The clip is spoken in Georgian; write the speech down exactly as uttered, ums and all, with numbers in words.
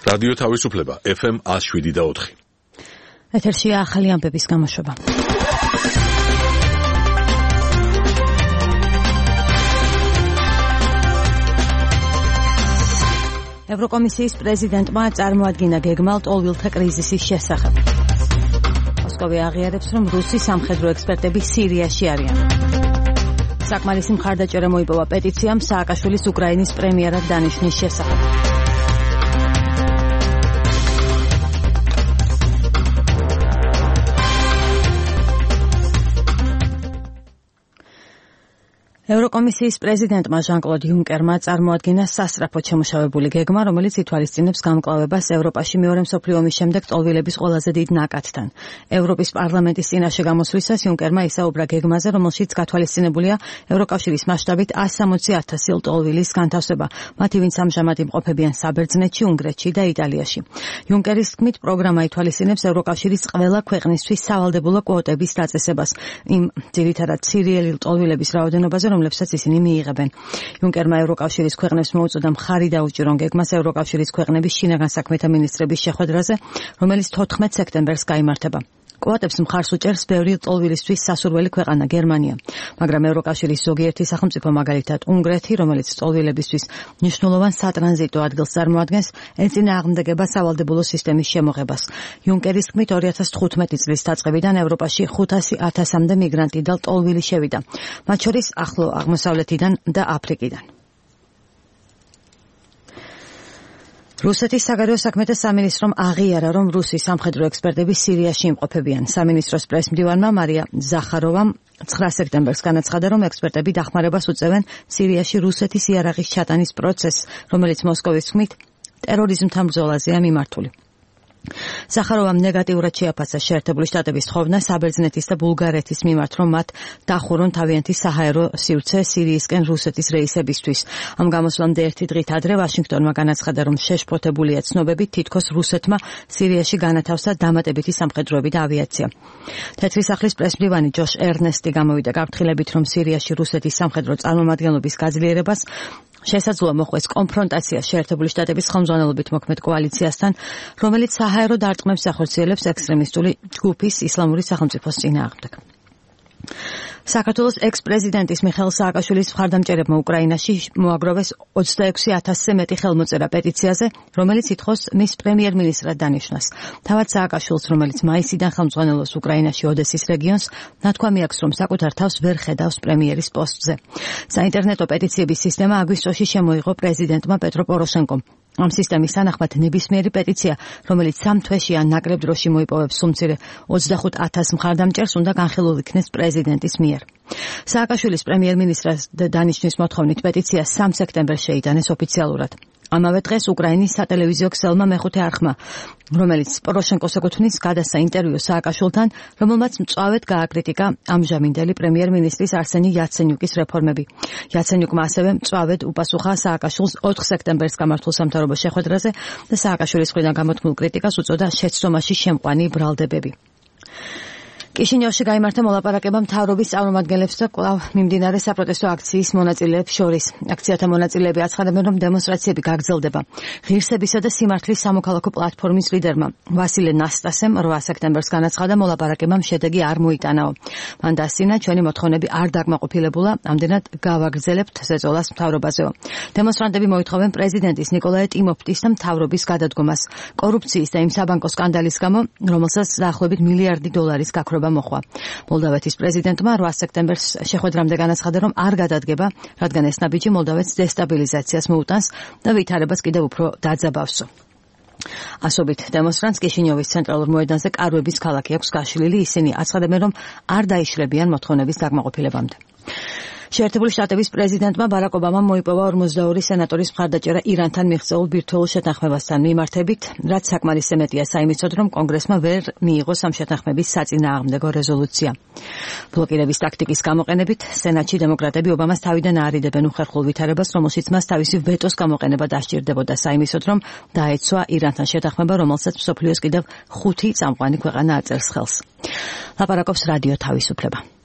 რადიო თავისუფლება ეფ ემ ნული შვიდი და ოთხი. ეთერშია ახალი ამბების გამოშვება. ევროკომისიის პრეზიდენტმა წარმოადგინა გეგმა ლტოლვილთა კრიზისის შესახებ. მოსკოვი აღიარებს, რომ რუსი სამხედრო ექსპერტები სირიაში არიან. საკმარისი მხარდაჭერა მოიპოვა პეტიციამ სააკაშვილის უკრაინის პრემიერად დანიშნის შესახებ. ევროკომისიის პრეზიდენტმა ჟან-კლოდ იუნკერმა წარმოადგინა სასწრაფოდ შემუშავებული გეგმა, რომელიც ითვალისწინებს გამკლავებას ევროპაში მეორე მსოფლიო ომის შემდეგ ტოლვილების ყველაზე დიდ ნაკადთან. ევროპის პარლამენტის წინაშე გამოსვლისას იუნკერმა ისაუბრა გეგმაზე, რომელშიც გათვალისწინებულია ევროკავშირის მასშტაბით ასი სამოცი ათასი ლტოლვილის განთავსება, მათი ვინც ამჟამად იმყოფებიან საბერძნეთში, უნგრეთში და იტალიაში. იუნკერის თქმით, პროგრამა ითვალისწინებს ევროკავშირის ყველა ქვეყნისთვის სავალდებულო კვოტების დაწესებას, იმ ძირითადად სირიელი ლტოლვილების რაოდენობაზე, რომლებსაც ისინი მიიღებენ. იუნკერმა ევროკავშირის ქვეყნებს მოუწოდა მხარი დაუჭირონ გეგმას ევროკავშირის ქვეყნების შინაგან საქმეთა მინისტრების შეხვედრაზე, რომელიც თოთხმეტ სექტემბერს გაიმართება. კვოტებს მხარს უჭერს ბევრი ლტოლვილისთვის სასურველი ქვეყანა გერმანია, მაგრამ ევროკავშირის ზოგიერთი სახელმწიფო, მაგალითად უნგრეთი, რომელიც ლტოლვილებისთვის მნიშვნელოვან სატრანზიტო ადგილს წარმოადგენს, ეწინააღმდეგება სავალდებულო სისტემის შემოღებას. იუნკერის თქმით, ორი ათას თხუთმეტი წლის დაწყებიდან ევროპაში ხუთასი ათასამდე მიგრანტი და ლტოლვილი შევიდა, მათ შორის ახლო აღმოსავლეთიდან და აფრიკიდან. რუსეთის საგარეო საქმეთა სამინისტრომ აღიარა, რომ რუსი სამხედრო ექსპერტები სირიაში იმყოფებიან. სამინისტროს პრესმდივანმა მარია ზახაროვამ ცხრა სექტემბერს განაცხადა, რომ ექსპერტები დახმარებას უწევენ სირიაში რუსეთის იარაღის ჩატანის პროცესს, რომელიც მოსკოვის თქმით ტერორიზმთან ბრძოლაზეა მიმართული. ზახაროვამ ნეგატიურად შეაფასა შეერთებული შტატების თხოვნა საბერძნეთის და ბულგარეთის მიმართ, რომ მათ დახურონ თავიანთი საჰაერო სივრცე სირიისკენ რუსეთის რეისებისთვის. ამ გამოსვლამდე ერთი დღით ადრე ვაშინგტონმა განაცხადა, რომ შეშფოთებულია ცნობებით, თითქოს რუსეთმა სირიაში განათავსა დამატებითი სამხედროები და ავიაცია. თეთრი სახლის პრესმდივანი ჯოშ ერნესტი გამოვიდა გაფრთხილებით, რომ სირიაში რუსეთის სამხედრო წარმომადგენლობის გაძლიერებას შესაძლოა მოხვდეს კონფრონტაცია შეერთებული შტატების ხელმძღვანელობით მოქმედ კოალიციასთან, რომელიც საჰაერო დარტყმებს ახორციელებს ექსტრემისტული ჯგუფის ისლამური სახელმწიფოს წინააღმდეგ. საქართველოს ექს-პრეზიდენტის მიხეილ სააკაშვილის მხარდამჭერებმა უკრაინაში მოაგროვეს ოცდაექვსი ათასზე მეტი ხელმოწერა პეტიციაზე, რომელიც ითხოვს მის პრემიერ-მინისტრად დანიშვნას. თავად სააკაშვილს, რომელიც მაისიდან ხელმძღვანელობს უკრაინაში ოდესის რეგიონს, ნათქვამი აქვს, რომ საკუთარ თავს ვერ ხედავს პრემიერის პოსტზე. საინტერნეტო პეტიციების სისტემა აგვისტოში შემოიღო პრეზიდენტმა პეტრო პოროშენკომ. ამ სისტემის თანახმად ნებისმიერი პეტიცია, რომელიც სამ თვეში ან ნაკლებ დროში მოიპოვებს სულ მცირე ოცდახუთ ათას მხარდამჭერს, უნდა განხილულ იქნეს პრეზიდენტის მიერ. სააკაშვილის პრემიერ-მინისტრად დანიშნის მოთხოვნით პეტიცია სამ სექტემბერს შეიტანეს ოფიციალურად. ამავე დღეს უკრაინის სატელევიზიო ქსელმა მეხუთე არხმა, რომელიც პოროშენკოს ეკუთვნის, გადასცა ინტერვიუ სააკაშვილთან, რომელმაც მწვავედ გააკრიტიკა ამჟამინდელი პრემიერ-მინისტრის არსენი იაცენიუკის რეფორმები. იაცენიუკმა ასევე მწვავედ უპასუხა სააკაშვილს ოთხ სექტემბერს გამართულ სამთავრობო შეხვედრაზე და სააკაშვილის მხრიდან გამოთქმულ კრიტიკას უწოდა შეცდომაში შემყვანი ბრალდებები. კიშინიოვში გაიმართა მოლაპარაკება მთავრობის წარმომადგენლებს და კვლავ მიმდინარე საპროტესტო აქციის მონაწილეებს შორის. აქციათა მონაწილეები აცხადებენ, რომ დემონსტრაციები გაგრძელდება. ღირსებისა და სიმართლის სამოქალაქო პლატფორმის ლიდერმა ვასილე ნასტასემ რვა სექტემბერს განაცხადა, მოლაპარაკებამ შედეგი არ მოიტანაო. მან დასცინა, ჩვენი მოთხოვნები არ დაკმაყოფილებულა, ამდენად გავაგრძელებთ ზეწოლას მთავრობაზეო. დემონსტრანტები მოითხოვენ პრეზიდენტის ნიკოლაე ტიმოფტის და მთავრობის გადადგომას კორუფციის და იმ საბანკო სკანდალის გამო, რომელსაც დაახლოებით მილიარდი დოლარის გაქრობა მოხვა. მოლდავეთის პრეზიდენტმა რვა სექტემბერს შეხვედრამდე განაცხადა, რომ არ გადადგება, რადგან ეს ნაბიჯი მოლდავეთს დესტაბილიზაციას მოუტანს და ვითარებას კიდევ უფრო დაძაბავსო. ასობით დემონსტრანტს კიშინიოვის ცენტრალურ მოედანზე კარვების ქალაქი აქვს გაშლილი, ისინი აცხადებენ, რომ არ დაიშლებიან მოთხოვნების დაკმაყოფილებამდე. შეერთებული შტატების პრეზიდენტმა ბარაკ ობამამ მოიპოვა ორმოცდაორი სენატორის მხარდაჭერა ირანთან მიღწეულ ბირთვულ შეთანხმებასთან მიმართებით, რაც საკმარისი მეტია საიმედოდ, რომ კონგრესმა ვერ მიიღო ამ შეთანხმების საწინააღმდეგო რეზოლუცია. ბლოკირების ტაქტიკის გამოყენებით სენატში დემოკრატები ობამას თავიდან აარიდებენ უხერხულ ვითარებას, რომელშიც მას თავისი ვეტოს გამოყენება დასჭირდებოდა საიმედოდ, რომ დაეცვა ირანთან შეთანხმება, რომელსაც მსოფლიოს კიდევ ხუთი წამყვანი ქვეყანა აწერს ხელს. ლაპარაკობს რადიო თავისუფლება.